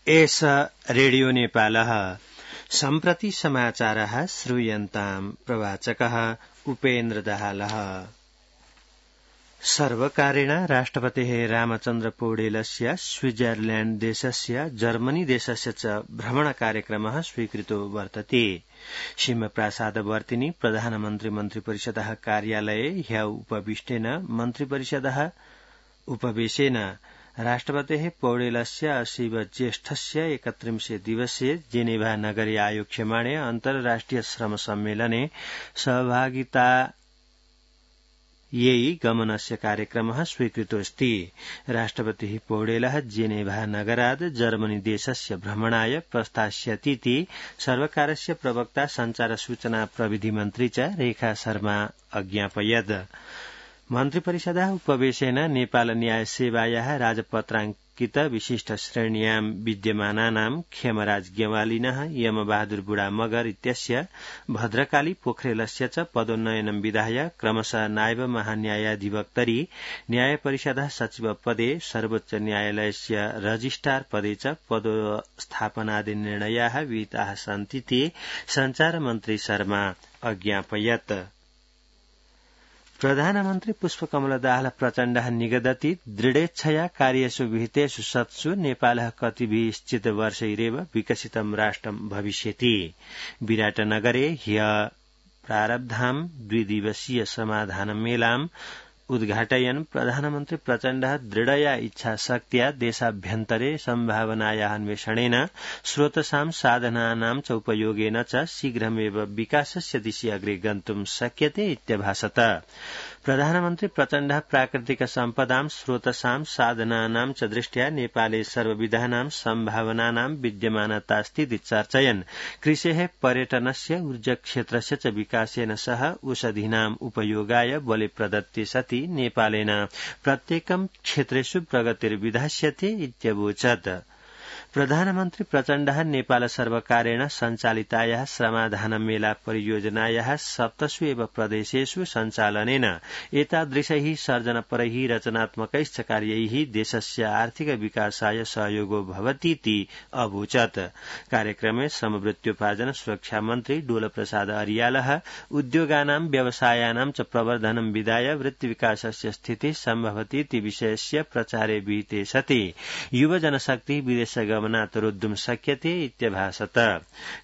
एष रेडियो नेपालः सम्प्रति समाचारः श्रूयन्ताम् प्रवाचकः उपेन्द्र दाहालः। सर्वकारेण राष्ट्रपतेः रामचन्द्र पौडेलस्य स्विट्जरलैण्ड देशस्य जर्मनी देशस्य च भ्रमणकार्यक्रमः स्वीकृतो वर्तते। सिंहप्रासादवर्तिनि प्रधानमन्त्री मन्त्रिपरिषदः कार्यालये ह्य उपविष्टेन उपवेशेन राष्ट्रपतेः पौडेलस्य असीव ज्येष्ठस्य 31 दिवसीय जेनेभा नगरे आयोक्ष्यमाणे अन्तर्राष्ट्रिय श्रम सम्मेलने सहभागितायै गमनस्य कार्यक्रमः स्वीकृतोऽस्ति। राष्ट्रपतिः पौडेलः जेनेभा नगरात् जर्मनी देशस्य भ्रमणाय प्रस्थास्यतीति सर्वकारस्य प्रवक्ता संचार सूचना प्रविधि मन्त्री च रेखा शर्मा अज्ञापयत्। मन्त्रिपरिषदः उपवेशेन नेपाल न्याय सेवायाः राजपत्राङ्कित विशिष्ट श्रेण्यां विद्यमानानां खेमराज गेवालिनः यमबहादुर बुढा मगर इत्यस्य भद्रकाली पोखरेलस्य च पदोन्नयनं विधाय क्रमशः नायब महान्यायाधिवक्तरि न्यायपरिषदः सचिव पदे सर्वोच्च न्यायालयस्य रजिस्ट्रार पदे च पदस्थापनादि निर्णयाः विहिताः सन्तीति संचार मन्त्री शर्मा अज्ञापयत्। प्रधानमन्त्री पुष्पकमल दाहाल प्रचण्डः निगदति दृढेच्छया कार्येषु विहितेषु सत्सु नेपालः कतिभिश्चित वर्षैरेव विकसितं राष्ट्रं भविष्यति। विराटनगरे ह्य प्रारब्धां 2 दिवसीय समाधान मेलाम् उद्घाटयन् प्रधानमन्त्री प्रचण्डः दृढया इच्छाशक्त्या देशाभ्यन्तरे सम्भावनायाः अन्वेषणेन स्रोतसां साधनानां च उपयोगेन च शीघ्रमेव विकासस्य दिशि अग्रे गन्तुं शक्यते इत्यभाषत। प्रधानमन्त्री प्रचण्डः प्राकृतिक सम्पदां स्रोतसां साधनानां च दृष्ट्या नेपाले सर्वविधानां सम्भावनानां विद्यमानतास्थिति चर्चयन् कृषेः पर्यटनस्य ऊर्जाक्षेत्रस्य च विकासेन सह औषधीनाम् उपयोगाय बले प्रदत्ते सति नेपालेन प्रत्येकं क्षेत्रेषु प्रगतिर्विधास्यते इत्यवोचत्। प्रधानमन्त्री प्रचण्डः नेपाल सर्वकारेण सञ्चालितायाः श्रमाधान मेला परियोजनायाः 7 एव प्रदेशेषु सञ्चालनेन एतादृशैः सर्जनपरैः रचनात्मकैश्च कार्यैः देशस्य आर्थिक विकासाय सहयोगो भवतीति अवोचत्। कार्यक्रमे श्रमवृत्त्योपार्जन सुरक्षा मन्त्री डोलप्रसाद अरियालः उद्योगानां व्यवसायानां च प्रवर्धनं विधाय वृत्तिविकासस्य स्थितिः सम्भवतीति विषयस्य प्रचारे विहिते सति युवजनशक्तिः विदेशगमनात् रोद्धुं शक्यते इत्यभाषत।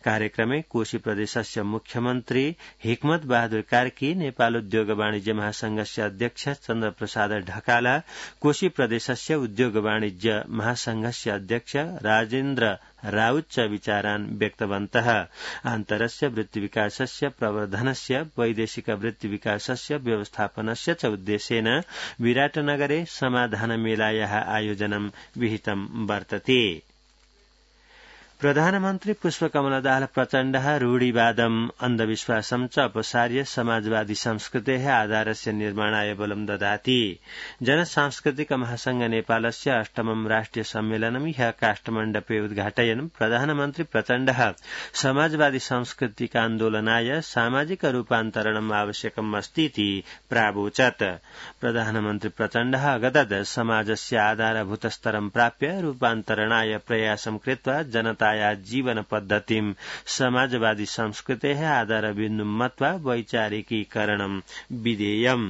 कार्यक्रमे कोशी प्रदेशस्य मुख्यमन्त्री हिक्मत बहादुर कार्की, नेपाल उद्योग वाणिज्य महासंघस्य अध्यक्ष चन्द्रप्रसाद ढकाला, कोशी प्रदेशस्य उद्योग वाणिज्य महासंघस्य अध्यक्ष राजेन्द्र राउत च विचारान् व्यक्तवन्तः। आन्तरस्य वृत्तिविकासस्य प्रवर्धनस्य वैदेशिक वृत्तिविकासस्य व्यवस्थापनस्य च उद्देश्येन विराटनगरे समाधानमेलायाः आयोजनं विहितं वर्तते। प्रधानमन्त्री पुष्पकमल दाहाल प्रचण्डः रूढिवादम् अन्धविश्वासं च अपसार्य समाजवादी संस्कृतेः आधारस्य निर्माणाय बलं ददाति। जनसांस्कृतिक महासंघ नेपालस्य 8मं राष्ट्रिय सम्मेलनं ह्यः काष्ठमण्डपे उद्घाटयन् प्रधानमन्त्री प्रचण्डः समाजवादी सांस्कृतिकान्दोलनाय सामाजिक रूपान्तरणम् आवश्यकम् अस्तीति प्रावोचत्। प्रधानमन्त्री प्रचण्डः अगदत् समाजस्य आधारभूतस्तरं प्राप्य रूपान्तरणाय प्रयासं कृत्वा जनता जीवन पद्धतिं समाजवादी संस्कृतेः आधारबिन्दुं मत्वा वैचारिकीकरणं विधेयम्।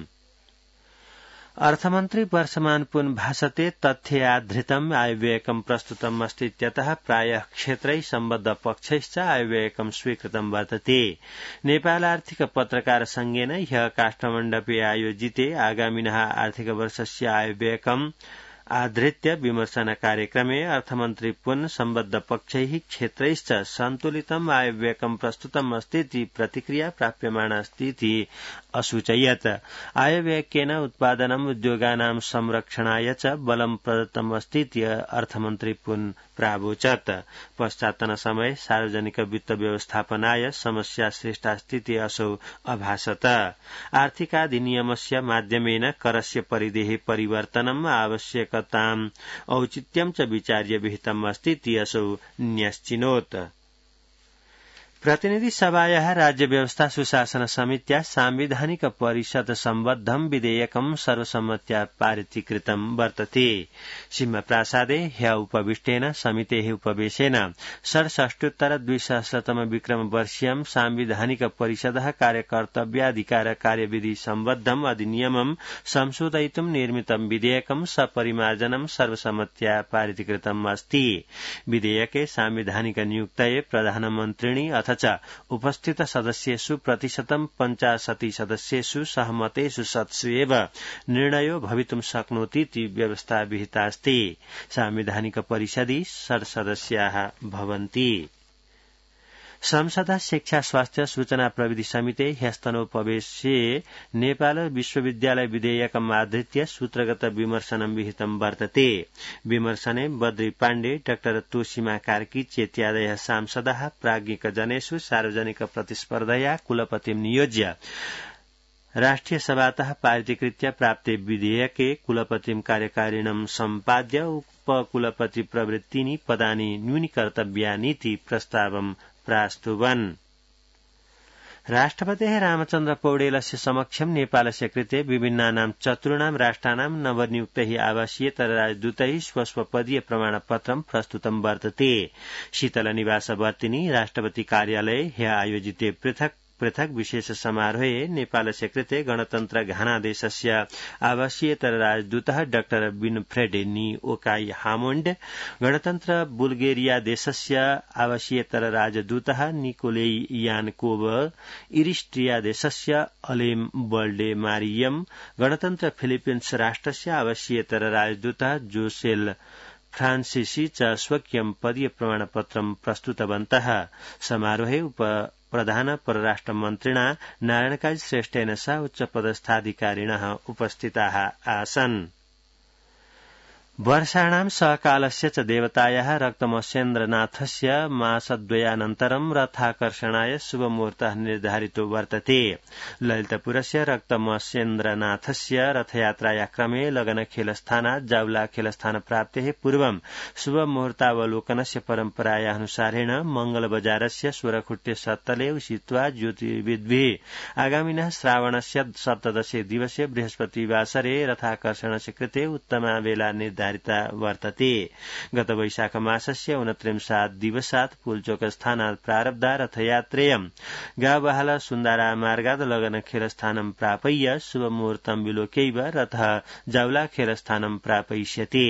अर्थमन्त्री वर्षमान पुन भाषते तथ्याधृतम् आयव्ययकं प्रस्तुतम् अस्ति इत्यतः प्रायः क्षेत्रैः सम्बद्ध पक्षैश्च आयव्ययकं स्वीकृतं वर्तते। नेपाल आर्थिक पत्रकार संघेन ह्यः काष्ठमण्डपे आयोजिते आगामिनः आर्थिक वर्षस्य आयव्ययकम् आधृत्य विमर्शन कार्यक्रमे अर्थमन्त्री पुन सम्बद्ध पक्षैः क्षेत्रैश्च सन्तुलितम् आयव्ययकं प्रस्तुतम् अस्तीति प्रतिक्रिया प्राप्यमाणास्तीति असूचयत्। आयव्ययकेन उत्पादनम् उद्योगानां संरक्षणाय च बलं प्रदत्तम् अस्तीति अर्थमन्त्री पुन प्रावोचत्। पश्चात्तन समये सार्वजनिक वित्त व्यवस्थापनाय समस्या सृष्टास्तीति असौ अभाषत। आर्थिकाधिनियमस्य माध्यमेन करस्य परिधेः परिवर्तनम् आवश्यकताम् औचित्यं च विचार्य विहितम् अस्तीति असौ न्यश्चिनोत्। प्रतिनिधि सभायाः राज्य व्यवस्था सुशासन समित्या सांविधानिक परिषद सम्बद्धं विधेयकं सर्वसम्मत्या पारितीकृतं वर्तते। सिंहप्रासादे ह्य उपविष्टेन समितेः उपवेशेन 67-2000 विक्रम वर्षीयं सांविधानिक परिषदः कार्यकर्तव्याधिकार कार्यविधि सम्बद्धम् अधिनियमं संशोधयितुं निर्मितं विधेयकं सपरिमार्जनं सर्वसम्मत्या पारितीकृतम् अस्ति। विधेयके सांविधानिक नियुक्तये प्रधानमन्त्रिणी अथ च उपस्थित सदस्येषु प्रतिशतं 85 सदस्येषु सहमतेषु सत्सु एव निर्णयो भवितुं शक्नोतीति व्यवस्था विहिता अस्ति। सांविधानिक परिषदि 60 सदस्याः भवन्ति। संसद शिक्षा स्वास्थ्य सूचना प्रविधि समिति ह्यस्तनोपवेशे नेपाल विश्वविद्यालय विधेयकम् आधृत्य सूत्रगत विमर्शनं विहितं वर्तते। विमर्शने बद्री पाण्डे, डाक्टर तोसीमा कार्की चेत्यादयः सांसदाः प्राज्ञिकजनेषु सार्वजनिक प्रतिस्पर्धया कुलपतिं नियोज्य राष्ट्रिय सभातः पारितीकृत्य प्राप्ते विधेयके कुलपतिं कार्यकारिणं सम्पाद्य उपकुलपति प्रवृत्तीनि पदानि न्यूनीकर्तव्यानीति प्रस्तावं प्रास्तुवन्। राष्ट्रपतेः रामचन्द्र पौडेलस्य समक्षं नेपालस्य कृते विभिन्नानां चतुर्णां राष्ट्राणां नवनियुक्तैः आवासीयेतर राजदूतैः स्वस्वपदीय प्रमाणपत्रं प्रस्तुतं वर्तते। शीतलनिवासवर्तिनी राष्ट्रपति कार्यालये ह्य आयोजिते पृथक विशेष समारोहे नेपालस्य कृते गणतन्त्र घाना देशस्य आवासीयेतर राजदूतः डाक्टर विनफ्रेड ओकाई हामोण्ड, गणतन्त्र बुल्गेरिया देशस्य आवासीयेतर राजदूतः निकोलेई यानकोव, इरिस्ट्रिया देशस्य अलेम बल्डे मारियम, गणतन्त्र फिलिपिन्स राष्ट्रस्य आवासीयेतर राजदूतः जोसेल फ्रांसिसी च स्वकीयं पदीय प्रमाणपत्रं प्रस्तुतवन्तः। समारोहे प्रधान परराष्ट्र मन्त्रिणा नारायणकाजी श्रेष्ठेन सह उच्चपदस्थाधिकारिणः उपस्थिताः आसन्। वर्षाणां सकालस्य च देवतायाः रक्तमस्येन्द्रनाथस्य मासद्वयानन्तरं रथाकर्षणाय शुभमुहूर्तः निर्धारितो वर्तते। ललितपुरस्य रक्तमस्येन्द्रनाथस्य रथयात्राया क्रमे लगनखेलस्थानात् जावला खेलस्थान प्राप्तेः पूर्वं शुभमुहूर्तावलोकनस्य परम्पराया अनुसारेण मंगलबजारस्य स्वरखुट्टे सत्तले उषित्वा ज्योतिर्विद्भिः आगामिनः श्रावणस्य 17 दिवसे बृहस्पतिवासरे रथाकर्षणस्य कृते उत्तमा वेला निर्धारिता वर्तते। गत वैशाख मासस्य 29 दिवसात् पुलचोकस्थानात् प्रारब्धा रथयात्रेयं गावहाला सुन्दरा मार्गात् लगनखेलस्थानं प्रापय्य शुभमुहूर्तं विलोक्यैव रथः जावला खेलस्थानं प्रापयिष्यति।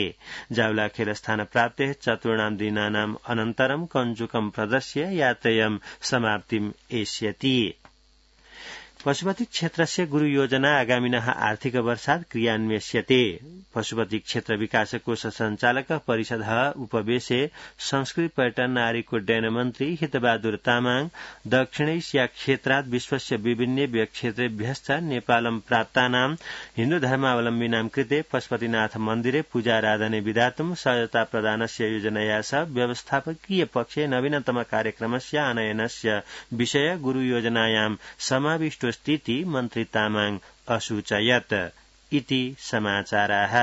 जावला खेलस्थान प्राप्तेः चतुर्णां दिनानाम् अनन्तरं कञ्जुकं प्रदर्श्य यात्रेयं समाप्तिम् एष्यति। पशुपति क्षेत्रस्य गुरु योजना आगामिनः आर्थिक वर्षात् क्रियान्वयस्यते। पशुपति क्षेत्र विकास कोष संचालक परिषदः उपवेशे संस्कृति पर्यटन नागरिक उड्डयन मन्त्री हितबहादुर तामाङ दक्षिणैशिया क्षेत्रात् विश्वस्य विभिन्नेभ्यः क्षेत्रेभ्यश्च नेपालं प्राप्तानां हिन्दू धर्मावलम्बिनां कृते पशुपतिनाथ मन्दिरे पूजाराधने विधातुं सहायता प्रदानस्य योजनया सह व्यवस्थापकीय पक्षे नवीनतम कार्यक्रमस्य आनयनस्य विषय गुरु योजनायां समाविष्टोऽस्तीति मन्त्री तामाङ असूचयत्। इति समाचाराः।